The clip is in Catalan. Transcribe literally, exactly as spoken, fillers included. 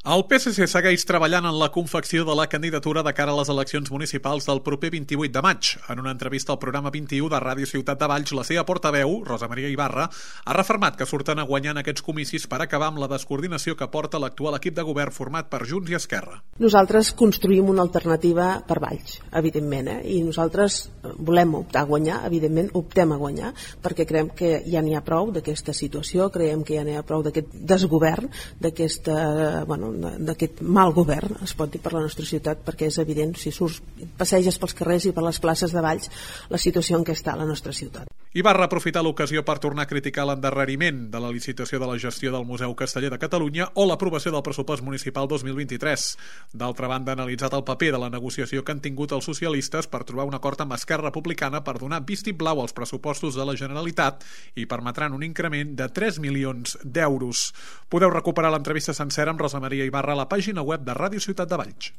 El P S C segueix treballant en la confecció de la candidatura de cara a les eleccions municipals del proper vint-i-vuit de maig. En una entrevista al programa vint-i-u de Ràdio Ciutat de Valls, la seva portaveu, Rosa Maria Ibarra, ha refermat que surten a guanyar en aquests comicis per acabar amb la descoordinació que porta l'actual equip de govern format per Junts i Esquerra. Nosaltres construïm una alternativa per Valls, evidentment, eh? I nosaltres volem optar a guanyar, evidentment optem a guanyar, perquè creiem que ja n'hi ha prou d'aquesta situació, creiem que ja n'hi ha prou d'aquest desgovern, d'aquesta, bueno, d'aquest mal govern, es pot dir, per la nostra ciutat, perquè és evident, si surts, passeges pels carrers i per les places de Valls, la situació en què està la nostra ciutat. Ibarra ha aprofitat l'ocasió per tornar a criticar l'endarreriment de la licitació de la gestió del Museu Casteller de Catalunya o l'aprovació del pressupost municipal dos mil vint-i-tres. D'altra banda, ha analitzat el paper de la negociació que han tingut els socialistes per trobar un acord amb Esquerra Republicana per donar vistiplau als pressupostos de la Generalitat i permetran un increment de tres milions d'euros. Podeu recuperar l'entrevista sencera amb Rosa Maria Ibarra a la pàgina web de Ràdio Ciutat de Valls.